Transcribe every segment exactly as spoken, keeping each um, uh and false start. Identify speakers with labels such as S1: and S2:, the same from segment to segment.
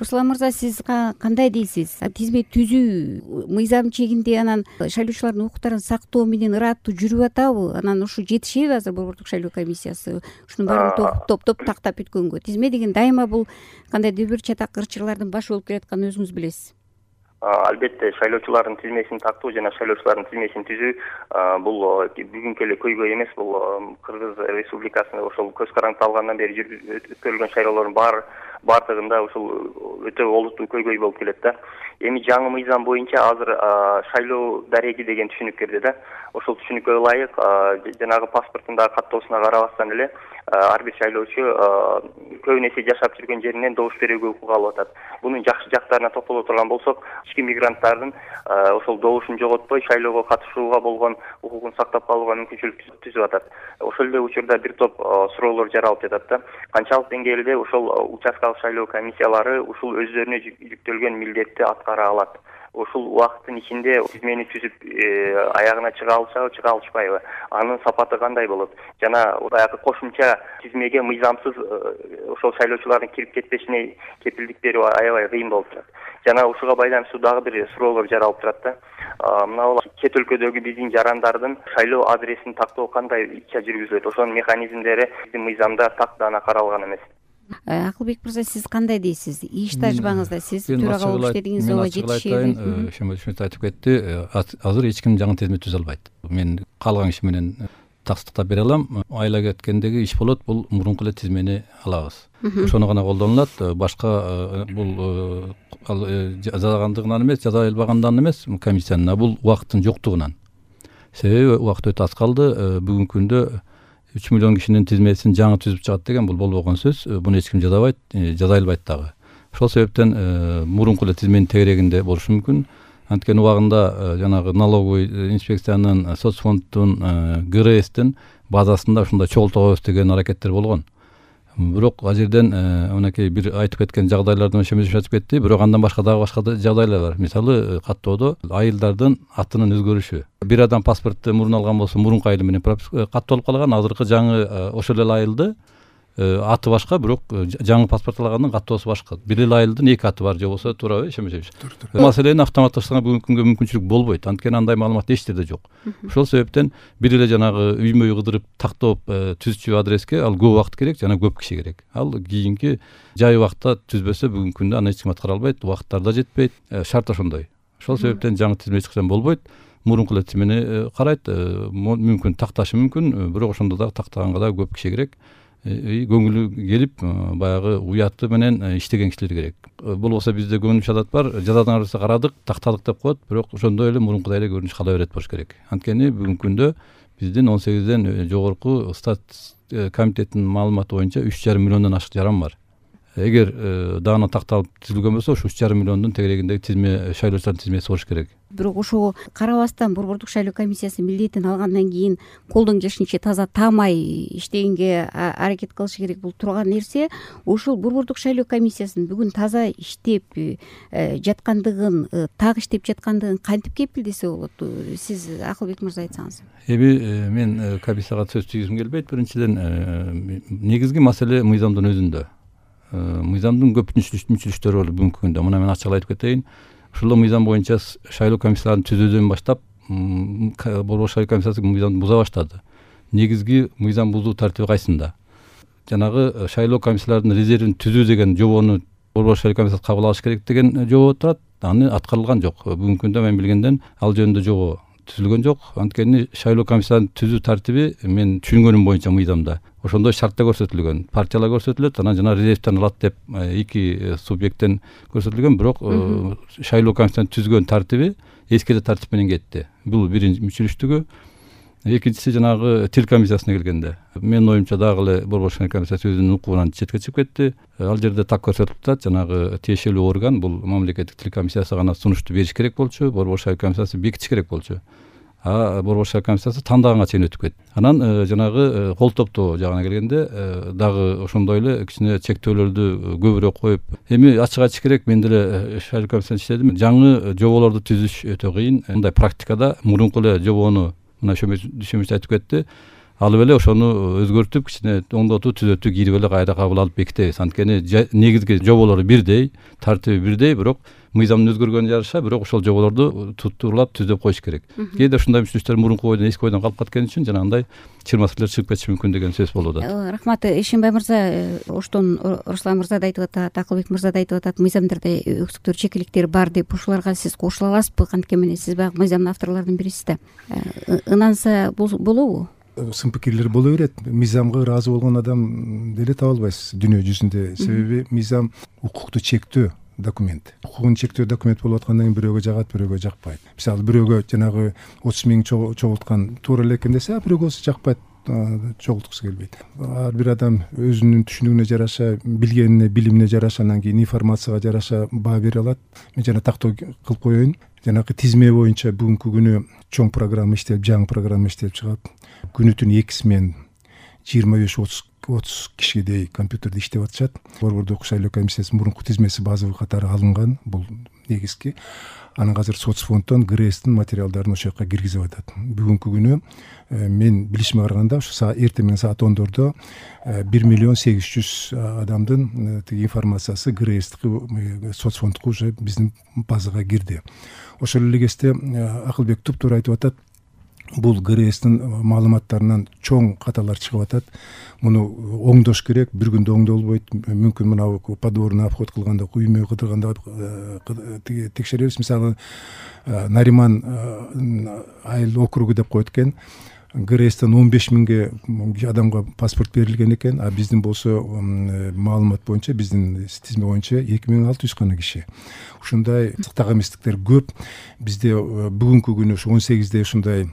S1: Руслан мырза, сиз кандай дейсиз? Тизме түзүү мыйзам чегинде анан шайлоочулардын укуктарын сактоо менен ыраттуу жүрүп атабы? Анан ушу жетишеби азыр Борбордук шайлоо комиссиясы ушунун баарын топтоп тактап бүткөнгө? Тизме деген дайыма бул кандайдыр бир чатак ырчырлардын башы болуп келатканын өзүңүз билесиз.
S2: Албетте шайлоочулардын тизмесин тактоо жана шайлоочулардын тизмесин түзүү бул бүгүнкү эле көйгөй эмес. Бул Кыргыз Республикасында ошол көз караңты алгандан бери жүрүп өткөрүлгөн шайлоолордун баары баардыгында ушул өтө олуттуу көйгөй болуп келет да. Эми жаңы мыйзам боюнча азыр шайлоо дареги деген түшүнүк кирди да. Ошол түшүнүккө ылайык жанагы паспортундагы каттоосуна карабастан эле ар бир шайлоочу көбүн эсе жашап жүргөн жеринен добуш берүүгө укук алып атат. Бунун жакшы жактарына токтоло турган болсок, ички мигранттардын ошол добушун жоготпой шайлоого катышууга болгон укугун сактап калууга мүмкүнчүлүк түзүп атат. Ошол эле учурда бир топ суроолор жаралып жатат да. Канчалык деңгээлде ошол участкалык шайлоо комиссиялары ушул өздөрүнө жүктөлгөн милдетти аткара алат? Ушул убакыттын ичинде тизмени түзүп аягына чыга алышабы, чыга алышпайбы? Анын сапаты кандай болот? Жана баягы кошумча тизмеге мыйзамсыз ошол шайлоочулардын кирип кетпешине кепилдик берүү аябай кыйын болуп турат. Жана ушуга байланыштуу дагы бир суроолор жаралып турат да. Мына бул чет өлкөдөгү биздин жарандардын шайлоо адресин тактоо кандай ичча жүргүзүлөт? Ошонун механизмдери биздин мыйзамда так даана каралган эмес.
S1: Акылбек мырза, сиз кандай дейсиз? Иш тажрыйбаңызда сиз төрага болуп иштедиңиз, ооба жетишеби?
S3: Ошондой айтып кетти. Азыр эч ким жаңы тизме түзө албайт. Мен калган киши менен таксыктап бере алам. Айла кеткендеги иш болот, бул мурунку эле тизмени алабыз. Ошону гана колдонулат. Башка бул жазагандыгынан эмес, жаза албагандан эмес комиссиянын, а бул убакыттын жоктугунан. Себеби убакыт өтө аз калды. Бүгүнкү күндө үч миллион кишинин тизмесин жаңы түзүп чыгат деген бул болбогон сөз. Буну эч ким жазабайт, жаза албайт дагы. Ошол себептен мурунку эле тизменин тегерегинде болушу мүмкүн. Анткени убагында жанагы налоговый инспекциянын, соцфонддун, ГРСтин базасында ушундай чогултабыз деген аракеттер болгон. Бирок ал жерден мынакей бир айтып кеткен жагдайлардын ошемиз айтып кетти. Бирок андан башка дагы башка жагдайлар бар. Мисалы, каттоодо айылдардын атынын өзгөрүшү. Бир адам паспортты мурун алган болсо, мурунку айылы менен каттолуп калган, азыркы жаңы ошол эле айылды аты башка, бирок жаңы паспорт алгандын каттоосу башка. Бир эле айылдын эки аты бар же болсо, туурабы? Ишенбейсизби? Маселени автоматташтырганга бүгүнкү күнгө мүмкүнчүлүк болбойт. Анткени андай маалымат эч жерде жок. Ошол себептен бир эле жанагы үймө үй кыдырып тактоп түзчү адреске ал көп убакыт керек, жана көп киши керек. Ал кийинки жай убакытта түзбөсө бүгүнкү күндө аны эч ким аткара албайт, убакыттар да жетпейт. Шарт ошондой. Ошол себептен жаңы тизме эч качан болбойт. Мурунку эле тизмени карайт, мүмкүн такташы мүмкүн, бирок ошондо дагы тактаганга да көп киши керек. Көңүлү келип, баягы уяты менен иштеген кишилер керек. Болбосо бизде көңүл адат бар, жазадан арасы карадык, тактадык деп коет, бирок ошондой эле мурункудай эле көрүнүш кала берет болуш керек. Анткени бүгүнкү күндө биздин он сегизден жогорку стат комитеттин маалыматы боюнча үч жарым миллиондон ашык жаран бар. Эгер даана такталып түзүлгөн болсо, ушу үч жарым миллиондун тегерегиндеги тизме, шайлоочулардын тизмеси болуш керек.
S1: Бирок ошого карабастан Борбордук шайлоо комиссиясы милдетин алгандан кийин колдон келишинче таза таамай иштегенге аракет кылышы керек. Бул турган нерсе. Ошол Борбордук шайлоо комиссиясынын бүгүн таза иштеп жаткандыгын, так иштеп жаткандыгын кантип кепилдесе болот? Сиз Акылбек мырза айтсаңыз.
S3: Эми мен комиссияга сөз тийгизим келбейт. Биринчиден, негизги маселе мыйзамдын өзүндө. Мыйзамдын көп мүчүлүштөрү бар бүгүнкү күндө. Мына мен ачык айтып кетейин. Ушул мыйзам боюнча шайлоо комиссияларын түзүүдөн баштап Борбордук шайлоо комиссиясы мыйзамды буза баштады. Негизги мыйзам бузуу тартиби кайсында? Жанагы шайлоо комиссияларынын резервин түзүү деген жобону Борбордук шайлоо комиссиясы кабыл алыш керек деген жобо турат. Аны аткарылган жок. Бүгүнкү күндө мен билгенден ал жөнүндө жобо түзүлгөн жок. Анткени шайлоо комиссияларын түзүү тартиби мен түшүнгөнүм боюнча мыйзамда ошондой шартта көрсөтүлгөн. Партиялар көрсөтүлөт, анан жана резервтен алат деп эки субъекттен көрсөтүлгөн, бирок шайлоо комиссиясын түзгөн тартиби эски тартип менен кетти. Бул биринчи мүчүлүштүгү. Экинчиси жанагы тил комиссиясына келгенде, менин оюмча дагы эле Борбордук шайлоо комиссиясы өзүнүн укугунан четке чыгып кетти. Ал жерде так көрсөтүлүп атат, жанагы тиешелүү орган, бул мамлекеттик тил комиссиясы гана сунушту бериш керек болчу, Борбордук шайлоо комиссиясы бекитиш керек болчу. А Борбордук шайлоо комиссиясы тандааганга чейин өтүп кетти. Анан жанагы кол топтоо жагына келгенде дагы ошондой эле кичине чектөөлөрдү көбүрөөк коюп, эми ачык айтыш керек, мен деле шайлоо комиссиясында иштедим. Жаңы жоболорду түзүш өтө кыйын. Мындай практикада мурунку эле жобону мына ошо айтып кетти. алып эле ошону өзгөртүп кичине оңдотуу түзөтүү кийирип эле кайра кабыл алып бекитебиз. Анткени негизги жоболору бирдей, тартиби бирдей, бирок мыйзамдын өзгөргөнүнө жараша бирок ошол жоболорду туттурлап түзөп коюш керек. Кээде ушундай мүчүлүктөр мурунку бойдон эски бойдон калып кеткен үчүн жанагындай чыр маселелер чыгып кетиши мүмкүн деген сөз болуп атат.
S1: Рахмат, Эшенбай мырза. Оштон Руслан мырза да айтып атат, Акылбек мырза да айтып атат, мыйзамдарда өксүктөр, чекиликтер бар деп. Ушуларга сиз кошула аласызбы? Кантке менен сиз баягы мыйзамдын авторлорунун бирисиз да. Ынанса болобу?
S4: Сын пикирлер боло берет. Мыйзамга ыраазы болгон адам деле таба албайсыз дүйнө жүзүндө. Себеби мыйзам укукту чектөө документ. Укугун чектөө документ болуп аткандан кийин бирөөгө жагат, бирөөгө жакпайт. Мисалы бирөөгө жанагы отуз миң чогулткан туура эле экен десе, бирөөгө жакпайт, чогулткусу келбейт. Ар бир адам өзүнүн түшүнүгүнө жараша, билгенине, билимине жараша, анан кийин информацияга жараша баа бере алат. Мен жана тактоо кылып коеюн. Жанагы тизме боюнча бүгүнкү күнү чоң программа иштелип, жаңы программа иштелип чыгат. Күнүтүн эки смен жыйырма беш отуз кишидей компьютерде иштеп атышат. Борбордук шайлоо комиссиясынын мурунку тизмеси базовый катары алынган, бул негизги. Анан азыр соцфонддон ГРЭСтин материалдарын ошол жака киргизип атат. Бүгүнкү күнү мен билишиме караганда ушу эртең менен саат ондордо бир миллион сегиз жүз адамдын тиги информациясы ГРЭСтики, соцфондку уже биздин базага кирди. Ошол эле кезде Акылбек туптуура айтып атат. Бул ГРЭСтин маалыматтарынан чоң каталар чыгып атат. Муну оңдош керек, бир күндө оңдолбойт. Мүмкүн мына подворный обход кылганда, үймө кыдырганда текшеребиз. Мисалы, Нариман айыл округу деп коет экен. ГРЭСтен он беш миңге адамга паспорт берилген экен, а биздин болсо маалымат боюнча, биздин тизме боюнча эки миң алты жүз гана киши. Ушундай сыктак эместиктер көп. Бизде бүгүнкү күнү ушу он сегизде ушундай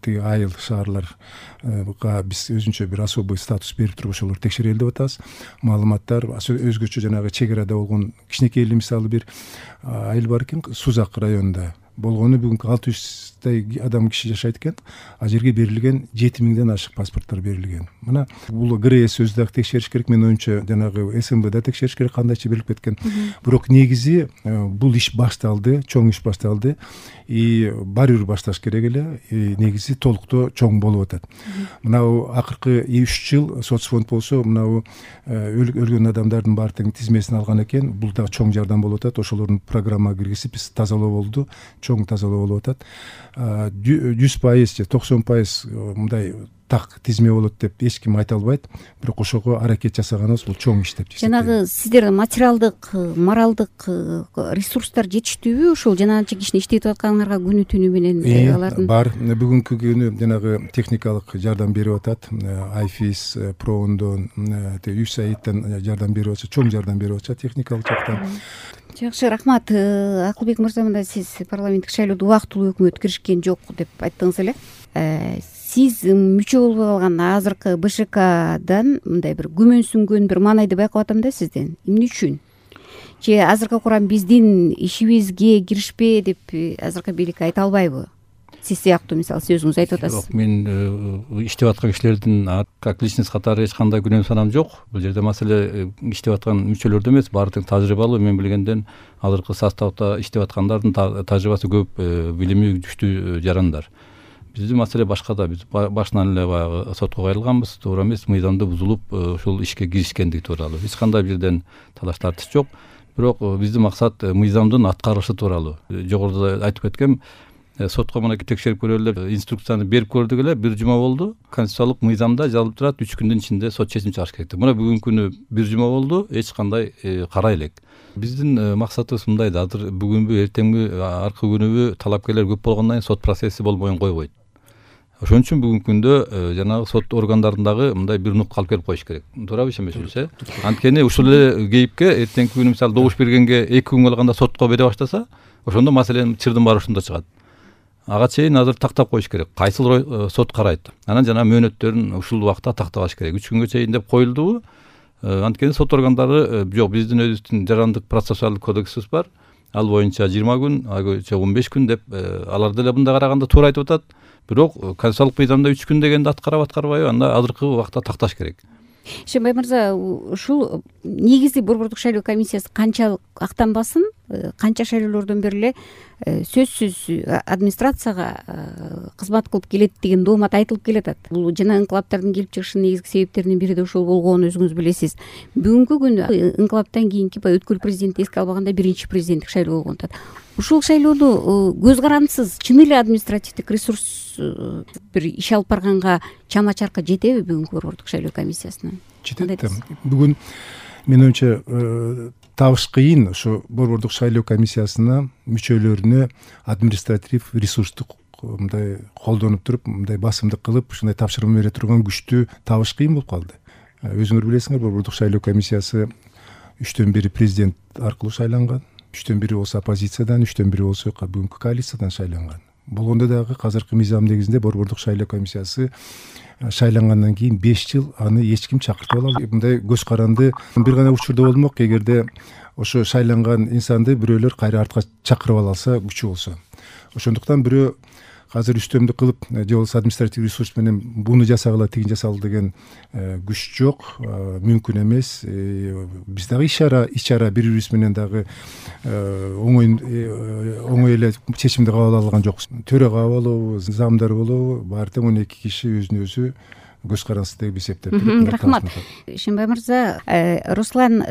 S4: тиги айыл шаарларга биз өзүнчө бир особый статус берип туруп ошолор текшерели деп атабыз. Маалыматтар өзгөчө жанагы чек арада болгон кичинекей эле мисалы бир айыл бар экен, Сузак районунда болгону бүгүнкү алты жүздөй адам киши жашайт экен. А жерге берилген жети миңден ашык паспорттор берилген. Мына бул ГРЭС өзү дагы текшериш керек. Мен оюмча жанагы СМБда текшериш керек, кандайча берилип кеткен. Бирок негизи бул иш башталды, чоң иш башталды. И баары бир башташ керек эле. Негизи толуктоо чоң болуп атат. Мына акыркы үч жыл соцфонд болсо, мына өлгөн адамдардын баардыгын тизмесин алган экен. Бул дагы чоң жардам болуп атат. Ошолордун программага киргизип биз тазалоо болду. Чоң тазалоо болуп атат. жүз пайыз же токсон пайыз мындай так тизме болот деп эч ким айта албайт. Бирок ошого аракет жасаганыбыз бул чоң иш деп эсептейм.
S1: Жанагы сиздер материалдык, моралдык ресурстар жетиштүүбү? Ошол жанагынча кишини иштетип атканыңарга күнү түнү менен алардын
S4: бар. Бүгүнкү күнү жанагы техникалык жардам берип атат. Айфис, Проундон, Юсаидтен жардам берип атат, чоң жардам берип атат техникалык жактан.
S1: Жакшы, рахмат. Акылбек мырза, мында сиз парламенттик шайлоодо убактылуу өкмөт киришкен жок деп айттыңыз эле. Сиз мүчө болбой калган азыркы БШКдан мындай бир күмөнсүнгөн бир маанайды байкап атам да сизден. Эмне үчүн? Же азыркы курам биздин ишибизге киришпе деп азыркы бийлик айта албайбы? Сиз сыяктуу, мисалы, сиз өзүңүз айтып атасыз.
S3: Жок, мен иштеп аткан кишилердин как личность катары эч кандай күнөө санам жок. Бул жерде маселе иштеп аткан мүчөлөрдө эмес, баардыгы тажрыйбалуу, мен билгенден азыркы составда иштеп аткандардын тажрыйбасы көп, билими күчтүү жарандар. Биздин маселе башкада. Биз башынан эле баягы сотко кайрылганбыз, туура эмес, мыйзамды бузулуп, ушул ишке киришкендиги тууралуу. Эч кандай бир жерден талаш тартыш жок. Бирок биздин максат мыйзамдын аткарылышы тууралуу. Жогоруда айтып кеткем, сотко мынакей текшерип көрөлү деп инструкцияны берип көрдүк эле, бир жума болду. Конституциялык мыйзамда жазылып турат, үч күндүн ичинде сот чечим чыгарыш керек деп. Мына бүгүнкү күнү бир жума болду, эч кандай карай элек. Биздин максатыбыз мындай да, азыр бүгүнбү, эртеңби, аркы күнүбү талапкерлер көп болгондон кийин сот процесси болбойн койбойт. Ошон үчүн бүгүнкү күндө жанагы сот органдарындагы мындай бир нукка алып келип коюш керек. Туурабы ишенбейсизби, э? Анткени ушул эле кейипке эртеңки күнү мисалы добуш бергенге эки күн калганда сотко бере баштаса, ошондо маселенин чырдын баары ушунда чыгат. Ага чейин азыр тактап коюш керек. Кайсыл сот карайт. Анан жана мөөнөттөрүн ушул убакта тактап алыш керек. үч күнгө чейин деп коюлдубу? Анткени сот органдары жок, биздин өзүбүздүн жарандык процессуалдык кодексибиз бар. Ал боюнча жыйырма күн, айгыча он беш күн деп алар деле мындай караганда туура айтып атат. Бирок конституциялык мыйзамда үч күн дегенде аткарап аткарбайбы, анда азыркы убакта такташ керек.
S1: Ишенбай мырза, ушул негизи борбордук шайлоо комиссиясы канчалык актанбасын, канча шайлоолордон бери эле сөзсүз администрацияга кызмат кылып келет деген доомат айтылып келатат. Бул жана инкылаптардын келип чыгышынын негизги себептеринин бири да ошол болгонун өзүңүз билесиз. Бүгүнкү күндө инкылаптан кийинки баягы өткүл президентти эске албаганда биринчи президенттик шайлоо болгон атат. Ушул шайлоону көз карандысыз чын эле административдик ресурс бир иш алып барганга чама чарка жетеби бүгүнкү борбордук шайлоо комиссиясына?
S4: Жетет да. Бүгүн менин оюмча табыш кыйын ошо борбордук шайлоо комиссиясына мүчөлөрүнө административ ресурстук мындай колдонуп туруп мындай басымдык кылып ушундай тапшырма бере турган күчтү табыш кыйын болуп калды. Өзүңөр билесиңер, борбордук шайлоо комиссиясы үчтөн бири президент аркылуу шайланган, үчтөн бири болсо оппозициядан, үчтөн бири болсо бүгүнкү коалициядан шайланган. Болгондо дагы азыркы мыйзам негизинде борбордук шайлоо комиссиясы шайлангандан кийин беш жыл аны эч ким чакыртып ала албайт. Мындай көз каранды бир гана учурда болмок, эгерде ошо шайланган инсанды бирөөлөр кайра артка чакырып ала алса, күчү болсо. Ошондуктан бирөө азыр үстөмдүк кылып же болбосо административ ресурс менен буну жасагыла, тигин жасагыла деген күч жок, мүмкүн эмес. Биз дагы иш-чара иш-чара бири-бирибиз менен дагы оңой оңой эле чечимди кабыл ала алган жокпуз. Төрага болобу, замдар болобу, баары тең он эки киши өзүнө өзү көз карансыз деп эсептеп туруп.
S1: Рахмат. Ишенбай мырза, Руслан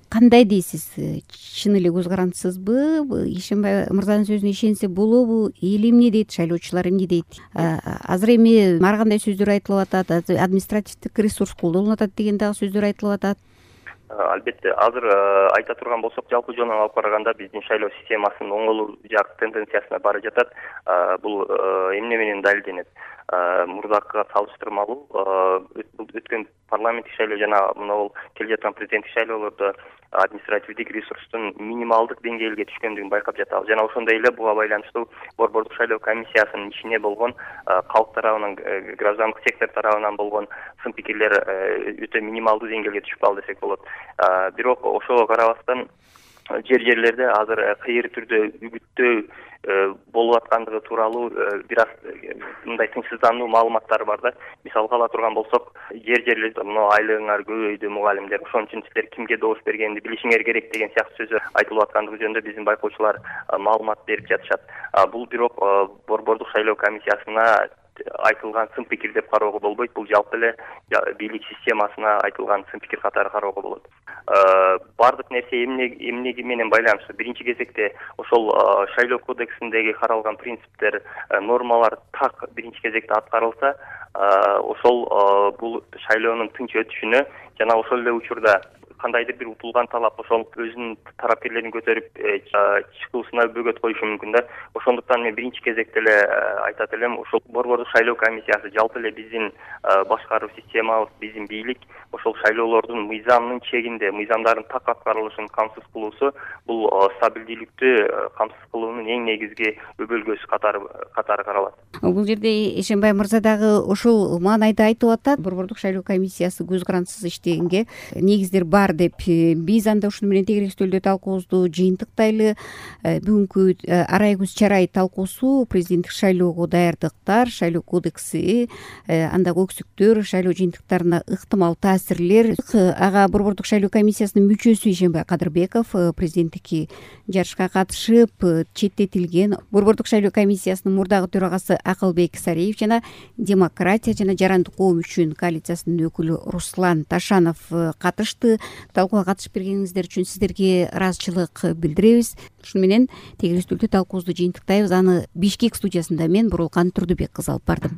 S1: кандай дейсиз? Чын эле көз карансызбы? Ишенбай мырзанын сөзүнө ишенсе болобу? Эл эмне дейт, шайлоочулар эмне дейт? Азыр эми ар кандай сөздөр айтылып атат, административдик ресурс колдонулуп атат деген дагы сөздөр айтылып атат.
S2: Албетте, азыр айта турган болсок, жалпы жөнүн алып караганда биздин шайлоо системасынын оңолуу жак тенденциясына бара жатат. Бул эмне менен далилденет? Мурдакыга салыштырмалуу өткөн парламенттик шайлоо жана мына келе жаткан президенттик шайлоолордо административдик ресурстун минималдык деңгээлге түшкөндүгүн байкап жатабыз. Жана ошондой эле буга байланыштуу борбордук шайлоо комиссиясынын ичине болгон калк тарабынан, граждандык сектор тарабынан болгон сын пикирлер өтө минималдуу деңгээлге түшүп калды десек болот. Бирок ошого карабастан жер жерлерде азыр кыйыр түрдө үгүттөө болуп аткандыгы тууралуу бир аз мындай тынчсыздануу маалыматтар бар да. Мисалга ала турган болсок, жер жерлерде мына айлыгыңар көбөйдү, мугалимдер, ошон үчүн силер кимге добуш бергенди билишиңер керек деген сыяктуу сөздөр айтылып аткандыгы жөнүндө биздин байкоочулар маалымат берип жатышат. Бул бирок борбордук шайлоо комиссиясына айтылган сын пикир деп кароого болбойт. Бул жалпы эле бийлик системасына айтылган сын пикир катары кароого болот. Бардык нерсе эмне эмне менен байланыштуу? Биринчи кезекте ошол шайлоо кодексиндеги каралган принциптер, нормалар так биринчи кезекте аткарылса, ошол бул шайлоонун тынч өтүшүнө жана ошол эле учурда кандайдыр бир утулган талап ошол өзүнүн тарапкерлерин көтөрүп чыгуусуна бөгөт коюшу мүмкүн да. Ошондуктан мен биринчи кезекте эле айтат элем, ошол борбордук шайлоо комиссиясы жалпы эле биздин башкаруу системабыз, биздин бийлик ошол шайлоолордун мыйзамдын чегинде, мыйзамдардын так аткарылышын камсыз кылуусу бул стабилдүүлүктү камсыз кылуунун эң негизги өбөлгөсү катары катары каралат.
S1: Бул жерде Ишенбай мырза дагы ошол маанайда айтып атат, борбордук шайлоо комиссиясы көз карансыз иштегенге негиздер бар деп. Биз анда ушуну менен тегерек стөлдө талкуубузду жыйынтыктайлы. Бүгүнкү арай күз чарай талкуусу президенттик шайлоого даярдыктар, шайлоо кодекси, андагы өксүктөр, шайлоо жыйынтыктарына ыктымал таасирлер. Ага борбордук шайлоо комиссиясынын мүчөсү Ишенбай Кадырбеков президенттикке жарышка катышып четтетилген. Борбордук шайлоо комиссиясынын мурдагы төрагасы Акылбек Сариев жана Демократия жана Жарандык коом үчүн коалициясынын өкүлү Руслан Ташанов катышты. Талкууга катышып бергениңиздер үчүн сиздерге ыраазычылык билдиребиз. Ушуну менен тегерек стөлдө талкуубузду жыйынтыктайбыз. Аны Бишкек студиясында мен Бурулкан Турдубек кызы алып бардым.